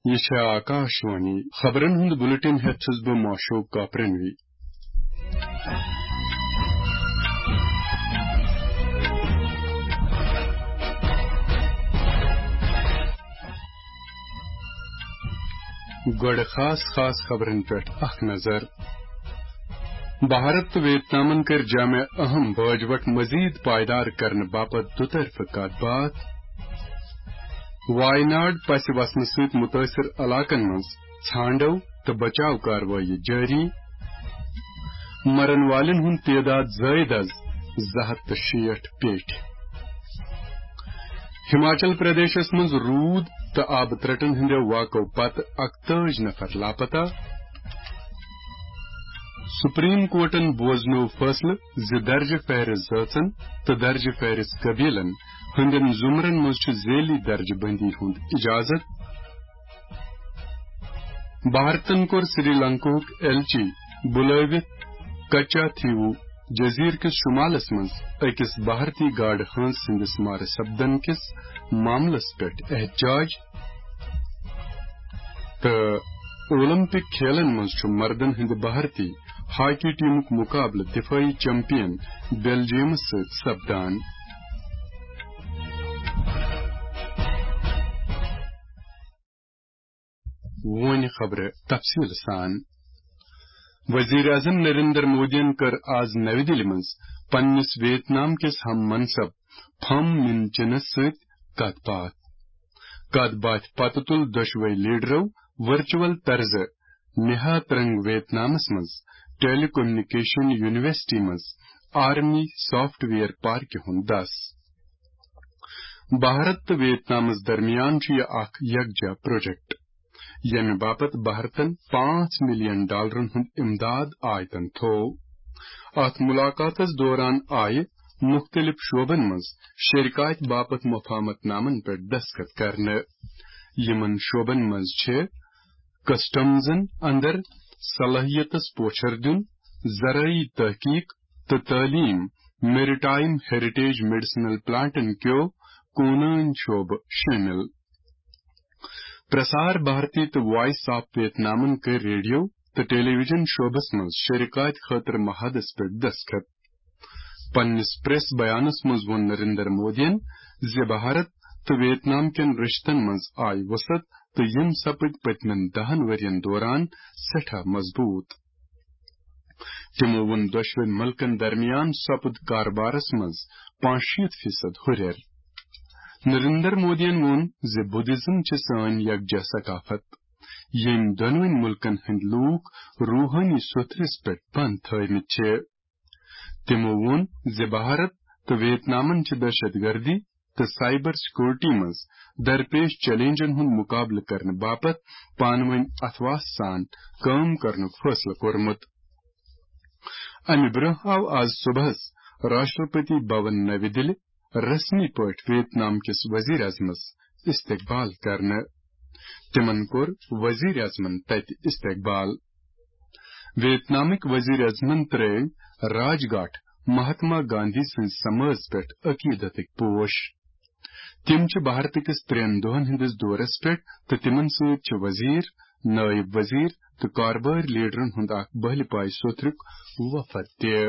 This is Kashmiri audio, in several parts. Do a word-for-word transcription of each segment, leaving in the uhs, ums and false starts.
یہِ چھےٚ آکاشوانی۔ خبرن ہُنٛد بُلٹن ہٮ۪تھ چھُس بہٕ ماشوق کاپرنوی۔ گۄڈٕ خاص خاص خبرن پٮ۪ٹھ اکھ نظر۔ بھارت تہٕ ویتنامن کٔرۍ جامع اہم باج وٹ مزید پائیدار کرنہٕ باپتھ دُطرفہٕ کتھ باتھ۔ وایناڈ پسہِ وسنہٕ سۭتۍ مُتٲثِر علاقن منٛز ژھانٛڈو تہٕ بچاو کاروٲیی جٲری۔ مرن والٮ۪ن ہُنٛد تعداد زٲیِد از زٕ ہتھ تہٕ شیٹھ پیٚٹھۍ۔ ہماچل پردیشس منٛز روٗد تہٕ آبہٕ ترٛٹن ہٕنٛدیو واقعو پتہٕ اکتٲجۍ نفر لاپتہ۔ سپریم کورٹن بوزنوو فٲصلہٕ زِ درجہٕ فہرست زٲژن تہٕ درجہٕ فہرست قبیلن ہٕنٛدٮ۪ن زمرن منٛز چھُ ذیلی درجہٕ بندی ہُنٛد اجازت۔ بھارتن کوٚر سری لنکاہُک ایلچی بُلٲوِتھ کچا تھیوو جزیرٕ کِس شمالس منٛز أکِس بھارتی گاڈٕ ہٲنز سٕنٛدِس مارٕ سپدن کِس معاملس پٮ۪ٹھ احتجاج۔ تہٕ اولمپک کھیلن منٛز چھُ مردن ہٕنٛدِ بھارتی ہاکی ٹیمُک مقابلہٕ دفٲعی چیمپئن بیلجیمس سۭتۍ سپدان۔ وۄنۍ خبرٕ تفصیل سان۔ وزیر اعظم نریندر مودیَن کٔر آز نَوِ دِلہِ منٛز پننِس ویتنام کِس ہم منصب پھم مِن چِنَس سۭتۍ کتھ باتھ۔ کتھ باتھِ پتہٕ تُل دۄشوے لیڈرو ورچوئل طرزٕ نہا ترنگ ویتنامس منٛز ٹیلی کمیونیکیشن یونیورسٹی منٛز آرمی سافٹ ویئر پارکہِ ہُنٛد دس۔ بھارت تہٕ ویتنامس درمیان چھُ یہِ اکھ یکجا پروجیکٹ، ییٚمہِ باپتھ بھارتن پانٛژھ ملین ڈالرن ہُنٛد امداد آیتن تھوو۔ اتھ ملاقاتس دوران آیہِ مُختٔلِف شعبن منٛز شرکاتہِ باپتھ مفاہمت نامن پٮ۪ٹھ دستخط کرنہٕ۔ یِمن شعبن منٛز چھِ کسٹمزن اندر صلٲحیتس پوچھر دیُن، زرعی تحقیق تہٕ تعلیم، میریٹائم ہیریٹیج میڈیسنل پلانٹن کیو کونن شعبہٕ شٲمِل۔ پرسار بھارتی تہٕ وائس آف ویتنامن کٔرۍ ریڈیو تہٕ ٹیلی ویژن شعبس منٛز شرکاتہِ خٲطرٕ معاہدس پٮ۪ٹھ دستخط۔ پننِس پریس بیانس منٛز ووٚن نریندر مودیَن زِ بھارت تہٕ ویتنام کٮ۪ن رشتن منٛز آیہِ وسعت تہٕ یِم سپٕدۍ پٔتمٮ۪ن دہن ؤرین دوران سٮ۪ٹھاہ مضبوٗط۔ تِمو ووٚن دۄشوٕنۍ مُلکن درمیان سپُد کاربارس منٛز پانٛژشیٖتھ فیصد ہُرٮ۪ر۔ نریندر مودیَن ووٚن زِ بدھزم چھِ سٲنۍ یکجا ثقافت، ییٚمۍ دۄنوٕنۍ مُلکن ہٕنٛدۍ لوٗکھ روحٲنی سوٚتھرِس پٮ۪ٹھ بنٛد تھٲومٕتۍ چھِ۔ تِمو ووٚن زِ بھارت تہٕ ویتنامن چھِ دہشت گردی تہٕ سائبر سیکورٹی منٛز درپیش چیلنجن ہُنٛد مقابلہٕ کرنہٕ باپتھ پانہٕ وٲنۍ اتھواس سان کٲم کرنُک فٲصلہٕ کوٚرمُت۔ امہِ برٛونٛہہ آو آز صبحس راشٹرپتی بھون نَوِ دِلہِ رسمی پٲٹھۍ ویتنام کِس وزیر اعظمس استقبال کرنہٕ۔ تِمن کوٚر وزیر اعظمن تتہِ استقبال۔ ویتنامٕکۍ وزیر اعظمن ترٲوۍ راج گھاٹ مہاتما گاندھی سٕنٛزِ سمٲژ پٮ۪ٹھ عقیدتٕکۍ پوش۔ تِم چھِ بھارتہٕ کِس ترٛٮ۪ن دۄہن ہٕنٛدِس دورس پٮ۪ٹھ تہٕ تِمن سۭتۍ چھِ وزیر، نٲیِب وزیر تہٕ کاربٲرۍ لیڈرن ہُنٛد اکھ بٔہلہِ پایہِ سوٚتھرُک وفد تہِ۔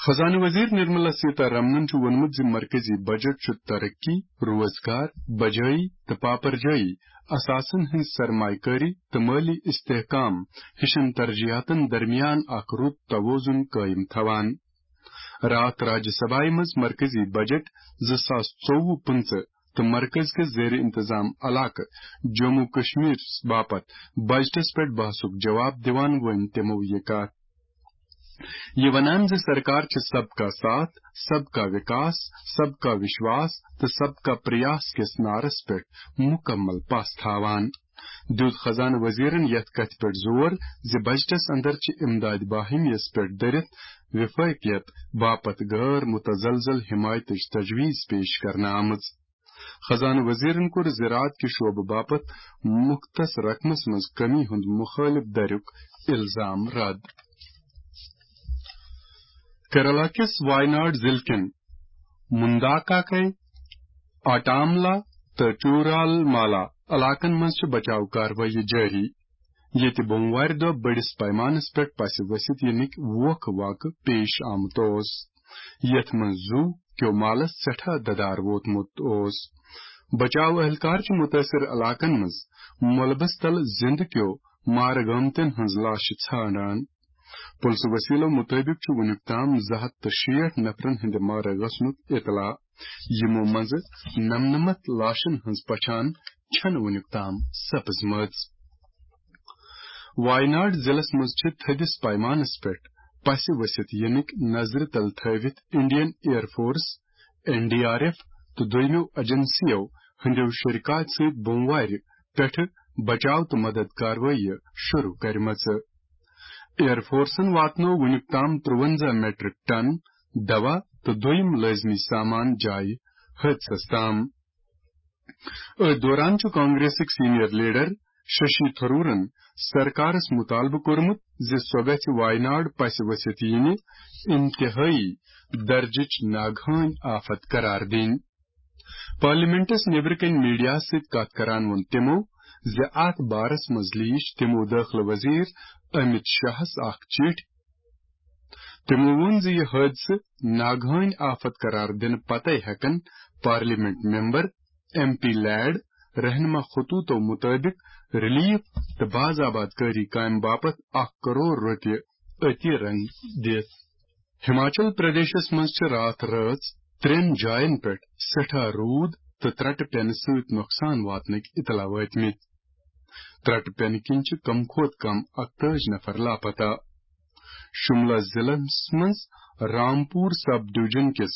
خزانہٕ وزیر نرملا سیتا رمنن چھُ ووٚنمُت زِ مرکزی بجٹ چھُ ترقی، روزگار، بجٲیی تہٕ پاپرجٲیی، اثاثن ہٕنٛز سرمایہ کٲری تہٕ مٲلی استحکام ہِشن ترجیحاتن درمیان اکھ رُت توازن قٲیِم تھاوان۔ راتھ راجیہ سبھایہ منٛز مرکزی بجٹ زٕ ساس ژوٚوُہ پٕنٛژٕہ تہٕ مرکز کِس زیر انتظام علاقہٕ جموں کشمیر باپتھ بجٹس پٮ۪ٹھ بحثُک جواب دِوان ؤنۍ تِمو یہِ کتھ۔ یہِ ونان زِ سرکار چھِ سب کا ساتھ، سب کا وکاس، سب کا وشواس تہٕ سب کا پریاس کِس نعرس پٮ۪ٹھ مکمل پس تھاوان۔ دیُت خزانہٕ وزیرن یتھ کتھِ پٮ۪ٹھ زور زِ بجٹس اندر چھِ امداد باہمی یس پٮ۪ٹھ دٔرِتھ وفٲقیت باپتھ غٲر متزلزل حمایتٕچ تجویز پیش کرنہٕ آمٕژ۔ خزانہٕ وزیرن کوٚر زراعت کہِ شعبہٕ باپتھ مختص رقمس منٛز کمی ہُنٛد مخٲلف دریُک الزام رد۔ کیرالہ کِس وایناڈ ضلعہٕ کٮ۪ن مُنداکاکے، آٹاملا تہٕ چورال مالا علاقن منٛز چھِ بچاو کاروٲیی جٲری، ییٚتہِ بوموارِ دۄہ بٔڑِس پیمانس پٮ۪ٹھ پسہِ ؤسِتھ یِنٕکۍ ووکھٕ واقعہٕ پیش آمُت اوس، یتھ منٛز زُو کیو مالس سٮ۪ٹھاہ ددار ووتمُت اوس۔ بچاو اہلکار چھِ مُتٲثر علاقن منٛز ملبس تل زِندٕ کیو مارٕ گٲمتٮ۪ن ہٕنٛز لاشہِ ژھانڈان۔ پُلسہٕ وسیلو مُطٲبِق چھُ وُنیُک تام زٕ ہتھ تہٕ شیٹھ نفرن ہٕنٛدِ مارٕ گژھنُک اطلاع، یِمو منٛزٕ نمنمتھ لاشن ہٕنٛز پہچان چھنہٕ وُنیُک تام سپٕزمٕژ۔ وایناڈ ضلعس منٛز چھِ تھٔدِس پیمانس پٮ۪ٹھ پسہِ ؤسِتھ یِنٕکۍ نظرِ تل تھٲوِتھ Indian air force, N D R F تہٕ دوٚیمٮ۪و ایجنسیو ہٕنٛدٮ۪و شرکاتۍ سۭتۍ بوموارِ پٮ۪ٹھٕ بچاو تہٕ مدد کاروٲیی شروع کٔرمٕژ۔ ایئر فورسن واتنوو وُنیُک تام ترٛوَنزاہ میٹرک ٹن دوا تہٕ دوٚیِم لٲزمی سامان جایہِ حٲدثس تام۔ أتھۍ دوران چھُ کانگریسٕکۍ سینئر لیڈر ششی تھرورن سرکارس مطالبہٕ کوٚرمُت زِ سۄ گژھِ وایناڈ پسہِ ؤسِتھ یِنہِ انتہٲئی درجٕچ ناگہٲنۍ آفت قرار دِنۍ۔ پارلیمنٹس نیبرٕ کنہِ میڈیاہس سۭتۍ کتھ کران ووٚن تِمو زِ اتھ بارس منٛز لیٖچھ تِمو دٲخلہٕ وزیر امت شاہس اکھ چٹھۍ۔ تِمو ووٚن زِ یہِ حٲدثہٕ ناگہٲنۍ آفت قرار دِنہٕ پتے ہٮ۪کن parliament member, M P LAD, رہنما خطوطو مُطٲبِق ریلیف تہٕ باز آباد کٲری کامہِ باپتھ اکھ کرور رۄپیہِ عطیہ رنگ دِتھ۔ ہماچل پردیشس منٛز چھِ راتھ رٲژ ترٛٮ۪ن جاین پٮ۪ٹھ سٮ۪ٹھاہ روٗد تہٕ ترٛٹہٕ پٮ۪نہٕ سۭتۍ نۄقصان واتنٕکۍ اطلاع وٲتمٕتۍ۔ ترٛٹہٕ پٮ۪نہٕ کِنۍ چھِ کم کھۄتہٕ کم اکتٲجی نفر لاپتہ۔ شملہ ضلعس منٛز رامپور سب ڈویژن کِس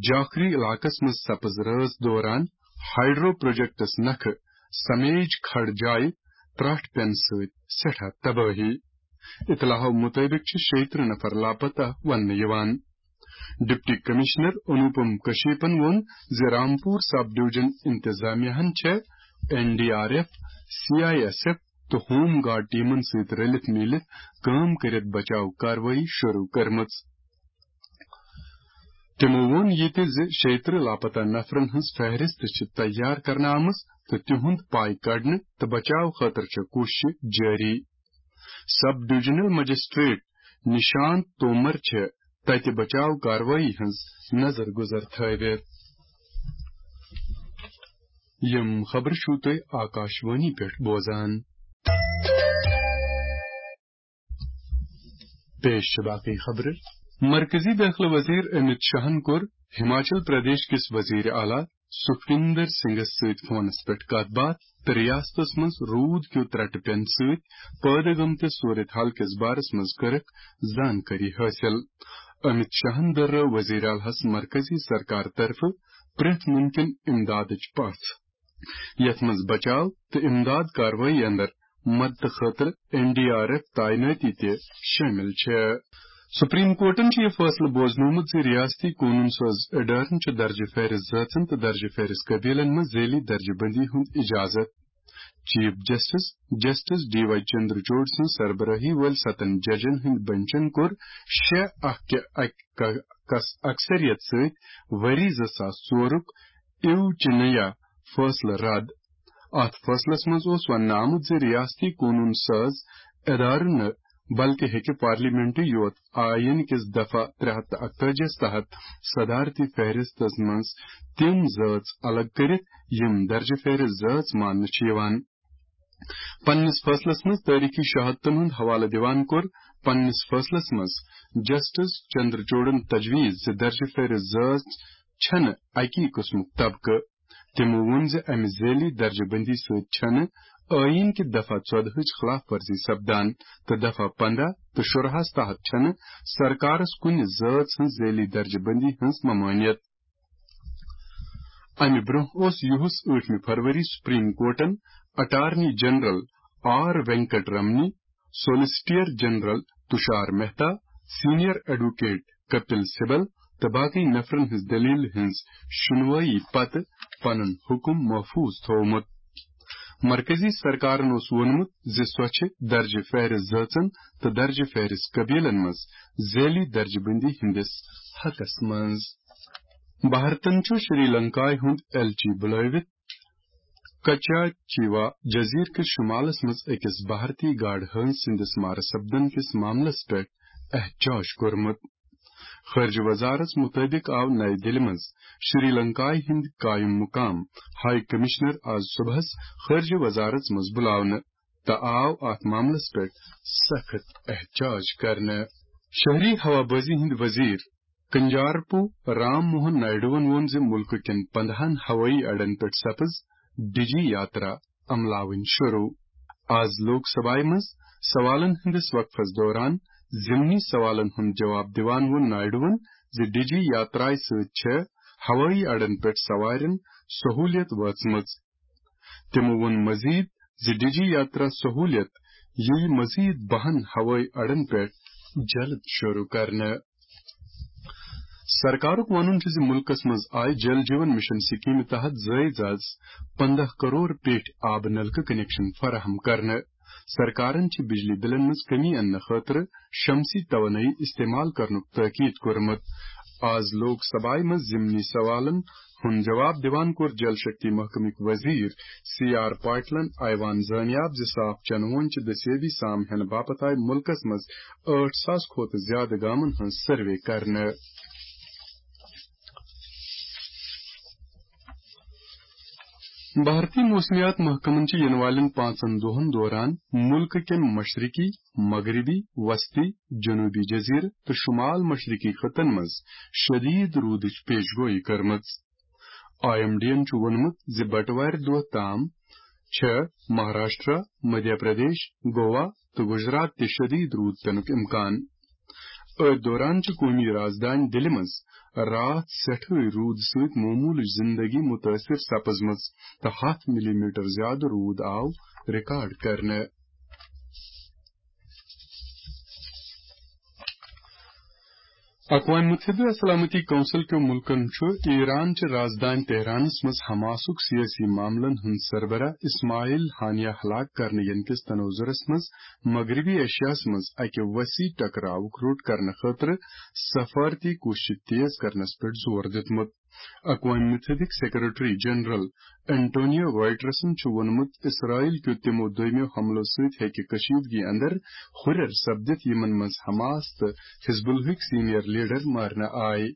جاکھری علاقس منٛز سپٕز رٲژ دوران ہائیڈرو پروجیکٹس نکھٕ سمیج کھڑ جایہِ ترٛٹھ پٮ۪نہٕ سۭتۍ سٮ۪ٹھاہ تبٲہی۔ اطلاعو مُطٲبِق چھِ شیٚیہِ ترٕٛہ نفر لاپتہ وننہٕ یِوان۔ ڈپٹی کمشنر انوپم کشیپن ووٚن زِ رامپور سب ڈویژن انتظامیہ ہن چھےٚ N D R F, C I S F تہٕ ہوم گارڈ ٹیمن سۭتۍ رلِتھ میٖلِتھ کٲم کٔرِتھ بچاو کاروٲیی شروع کٔرمٕژ۔ تِمو ووٚن یہِ تہِ زِ شیٚیہِ ترٕٛہ لاپتہ نفرن ہٕنٛز فہرست چھِ تیار کرنہٕ آمٕژ تہٕ تِہُنٛد پاے کڑنہٕ تہٕ بچاو خٲطرٕ چھےٚ کوٗششہٕ جٲری۔ Sub divisional magistrate Nishat Tomar چھےٚ تتہِ بچاو کاروٲیی ہٕنٛز نظر گُزر تھٲوِتھ۔ یِم خبرٕ چھِو تُہۍ آکاشوانی پٮ۪ٹھ بوزان۔ پیش چھِ باقٕے خبرٕ۔ مرکزی دٲخلہٕ وزیر امت شاہن کوٚر ہماچل پردیش کِس وزیر اعلیٰ سکھویندر سنگھس سۭتۍ فونس پٮ۪ٹھ کتھ باتھ تہٕ ریاستس منٛز روٗد کیو ترٛٹہٕ پٮ۪نہٕ سۭتۍ پٲدٕ گٔمتِس صورت حال کِس بارس منٛز کٔرٕکھ زانکٲری حٲصِل۔ امت شاہن دۄہرٲو وزیر اعلیٰ ہس مرکزی سرکار طرفہٕ پرٛٮ۪تھ مُمکِن امدادٕچ پژھ، یتھ منٛز بچاو تہٕ امداد کاروٲیی اندر مدتہٕ خٲطرٕ این ڈی آر ایف تعینٲتی تہِ شٲمِل چھےٚ۔ سپریم کورٹن چھُ یہِ فٲصلہٕ بوزنومُت زِ ریاستی قونوٗن ساز ادارن چھُ درجہٕ فہرست زٲژن تہٕ درجہٕ فہرست قبیلن منٛز ذیلی درجہٕ بندی ہُنٛد اجازت۔ Chief justice, justice D Y Chandrachud سٕنٛز سربرٲہی وٲلۍ ستن ججن ہٕنٛدۍ بنچن کوٚر شےٚ اکھ کہِ اکہِ ک-، کس اکثریت سۭتۍ ؤری زٕ ساس ژورُک ایو چنیا فٲصلہٕ رد۔ اتھ فٲصلس منٛز اوس وننہٕ آمُت زِ ریاستی قونوٗن ساز ادارٕ نہٕ، بلکہِ ہیٚکہِ پارلیمنٹٕے یوت آئین کِس دفعہ ترٛےٚ ہتھ تہٕ اکتٲجی تحت صدارتی فہرستس منٛز تِم زٲژ الگ کٔرِتھ، یِم درجہٕ فہرست زٲژ ماننہٕ چھِ یِوان۔ پننِس فٲصلس منٛز تٲریخی شہادتن ہُنٛد حوالہٕ دِوان کوٚر پننِس فٲصلس منٛز جسٹس چندرچوڑن تجویز زِ درجہٕ فہرست زٲژ چھنہٕ اکی قٕسمُک طبقہٕ۔ تِمو ووٚن زِ امہِ ذیلی درجہٕ بندی سۭتۍ چھنہٕ آئین کہِ دفعہ ژۄدہٕچ خلاف ورزی سپدان تہٕ دفعہ پنداہ تہٕ شُراہس تحت چھنہٕ سرکارس کُنہِ زٲژ ہٕنٛز ذیلی درجہٕ بندی ہٕنٛز ممانعت۔ امہِ برونٛہہ اوس یُہُس ٲٹھمہِ فروری سپریم کورٹن attorney general R Venkataramani, solicitor general Tushar Mehta, senior advocate Kapil Sibal تہٕ باقی نفرن ہٕنٛز دٔلیٖلہِ ہٕنٛز شُنوٲیی پتہٕ پنُن حُکم محفوظ تھوومُت۔ مرکزی سرکارن اوس ووٚنمُت زِ سۄ چھِ درجہٕ فہرست زٲژن تہٕ درجہٕ فہرست قبیلن منٛز ذیلی درجہٕ بندی ہٕنٛدِس حقس منٛز۔ بھارتن چھُ شری لنکایہِ ہُنٛد ایلچی بُلٲوِتھ کچا چیوا جزیرٕ کِس شُمالس منٛز أکِس بھارتی گاڈٕ ہٲنز سٕنٛدِس مارٕ سپدن کِس معاملس پٮ۪ٹھ احتجاج کوٚرمُت۔ خارجہ وزارت مُطٲبِق آو نَیہِ دِلہِ منٛز شری لنکایہِ ہٕنٛدۍ قٲیِم مُقام ہائی کمشنر آز صُبحس خارجہ وزارت منٛز بُلاونہٕ تہٕ آو اتھ معاملس پٮ۪ٹھ سخت احتجاج کرنہٕ۔ شہری ہوابازی ہٕنٛدۍ وزیر کنجارپو رام موہن نائیڈوَن ووٚن زِ مُلکہٕ کٮ۪ن پندہَن ہوٲیی اڈن پٮ۪ٹھ سپٕز ڈیجی یاترا عملاوٕنۍ شروع۔ آز لوک سبھایہ منٛز سوالن ہٕنٛدِس وقفس دوران ضمنی سوالن ہُنٛد جواب دِوان ووٚن نائیڈوَن زِ ڈیجی یاترایہِ سۭتۍ چھےٚ ہوٲیی اڈن پٮ۪ٹھ سوارٮ۪ن سہوٗلیت وٲژمٕژ۔ تِمو ووٚن مزید زِ ڈیجی یاترا سہوٗلیت یِیہِ مزید بَہَن ہوٲیی اڈن پٮ۪ٹھ جلد شروع کرنہٕ۔ سرکارُک وَنُن چھُ زِ مُلکَس منٛز آیہِ جل جیون مشن سکیمہِ تحت زٲیِج از پندہ کرور پیٹھ آبہٕ نلکہٕ کنیکشن فراہم کرنہٕ۔ سرکارن چھِ بجلی بلن منٛز کمی اننہٕ خٲطرٕ شمسی توانٲیی استعمال کرنُک تاکید کوٚرمُت۔ آز لوک سبھایہ منٛز ضمنی سوالن ہُنٛد جواب دِوان کوٚر جل شکتی محکمٕکۍ وزیر سی آر پاٹلن ایوان زٲنیاب زِ صاف چنہٕ وونہِ چہِ دٔستیٲبی سام ہینہٕ باپتھ آیہِ مُلکَس منٛز ٲٹھ ساس کھۄتہٕ زیادٕ گامَن ہٕنٛز سروے کرنہٕ۔ بھارتی موسمیات محکمن چھِ یِنہٕ والٮ۪ن پانٛژن دۄہَن دوران مُلکہٕ کٮ۪ن مشرقی، مغربی، وسطی، جنوبی جزیرٕ تہٕ شمال مشرقی خطن منٛز شدید روٗدٕچ پیش گویی کٔرمٕژ۔ آئی ایم ڈی ین چھُ ووٚنمُت زِ بٹوارِ دۄہ تام چھےٚ مہاراشٹرا، مدھیہ پردیش، گوا تہٕ گجرات تہِ شدید روٗد پینُک امکان۔ أتھۍ دوران چھِ قومی رازدانۍ دِلہِ منٛز راتھ سٮ۪ٹھٕے روٗد سۭتۍ معموٗلٕچ زِندگی مُتٲثِر سپٕزمٕژ تہٕ ہَتھ مِلی میٖٹر زیادٕ روٗد آو ریکارڈ کرنہٕ۔ اقوام متحدہ سلامتی کونسل کیو مُلکن چھُ ایران چہِ رازدانۍ تہرانس منٛز حماسُک سیٲسی معاملن ہُنٛد سربراہ اسماعیل ہانیہ ہلاک کرنہٕ ینہٕ کِس تناظرس منٛز مغربی ایشیاہس منٛز اکہِ وسیع ٹکراوُک روٚٹ کرنہٕ خٲطرٕ سفارتی کوٗششہٕ تیز کرنس پٮ۪ٹھ زور دیُتمُت۔ اقوام متحدٕکۍ سیکرٹری جنرل انٹونیو گوئٹرسن چھُ ووٚنمُت، اسرائیل کیو تِمو دوٚیمٮ۪و حملو سۭتۍ ہیٚکہِ کشیدگی اندر ہُرٮ۪ر سپدِتھ، یِمن منٛز حماس تہٕ حزب اللہٕکۍ سینئر لیڈر مارنہٕ آے۔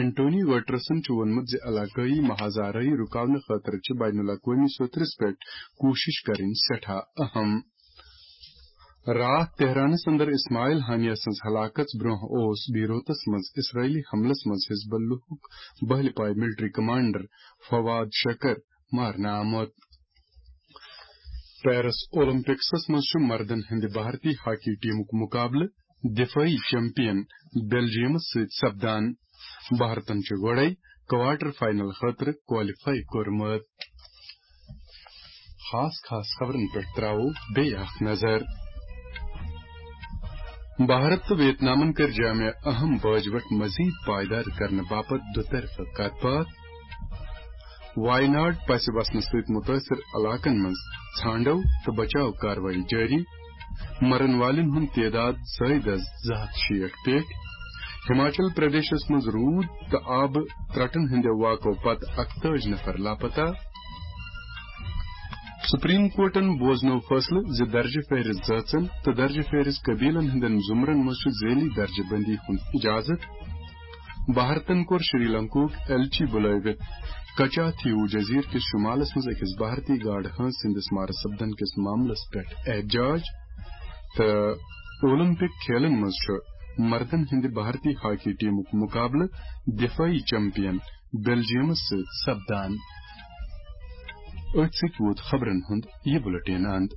انٹونیو گوئٹرسن چھُ ووٚنمُت زِ علاقٲیی محاذ آرٲیی رُکاونہٕ خٲطرٕ چھِ بین الاقوٲمی سطحس پٮ۪ٹھ کوٗشش کرٕنۍ سٮ۪ٹھاہ اہم۔ راتھ تہرانس اندر اسماعیل ہانیہ سٕنٛز ہلاکت برونٛہہ اوس بیروتس منٛز اسرائیلی حملس منٛز حزب اللہُک بہلہِ پایہِ ملٹری کمانڈر فواد شکر مارنہٕ آمُت۔ پیرس اولمپکسس منٛز چھُ مردن ہٕنٛدِ بھارتی ہاکی ٹیمُک مُقابلہٕ دفٲعی چیمپئن بیلجیمس سۭتۍ سپدان۔ بھارتن چھُ گۄڈَے کوارٹر فائنل خٲطرٕ کوالیفائی کوٚرمُت۔ خاص خاص خبرن پٮ۪ٹھ تراوو بیٚیہِ اکھ نظر۔ بھارت تہٕ ویتنامن کٔر جامع اہم باجوٹ مزید پائیدار کرنہٕ باپتھ دُطرفہٕ کتھ باتھ۔ وائناڈ پسہِ وسنہٕ سۭتۍ مُتٲثر علاقن منٛز ژھانڈو تہٕ بچاو کاروٲیی جٲری۔ مرن والٮ۪ن ہُنٛد تعداد زٲیِد از زٕ ہتھ شیٹھ پٮ۪ٹھ۔ ہماچل پردیشس منٛز روٗد تہٕ آبہٕ ترٛٹن ہٕنٛدِ واقعو پتہٕ اکتٲجۍ نفر لاپتہ۔ سپریم کورٹن بوزنوو فٲصلہٕ زِ درجہٕ فہرست زٲژن تہٕ درجہٕ فہرست قبیلن ہٕنٛدٮ۪ن زمرن منٛز چھُ ذیلی درجہٕ بندی ہُنٛد اجازت۔ بھارتن کوٚر شری لنکاہُک ایلچی بُلٲوِتھ کچا تھیوٗ جزیرٕ کِس شمالس منٛز أکِس بھارتی گاڈٕ ہٲنز سٕنٛدِس مارٕ سپدن کِس معاملس پٮ۪ٹھ احتجاج۔ تہٕ اولمپک کھیلن منٛز چھُ مردن ہٕنٛدِ بھارتی ہاکی ٹیمُک مُقابلہٕ دفٲعی چیمپئن بیلجیمس سۭتۍ سپدان۔ أتھۍ سۭتۍ ووت خبرن ہُنٛد یہِ بُلٹن اند۔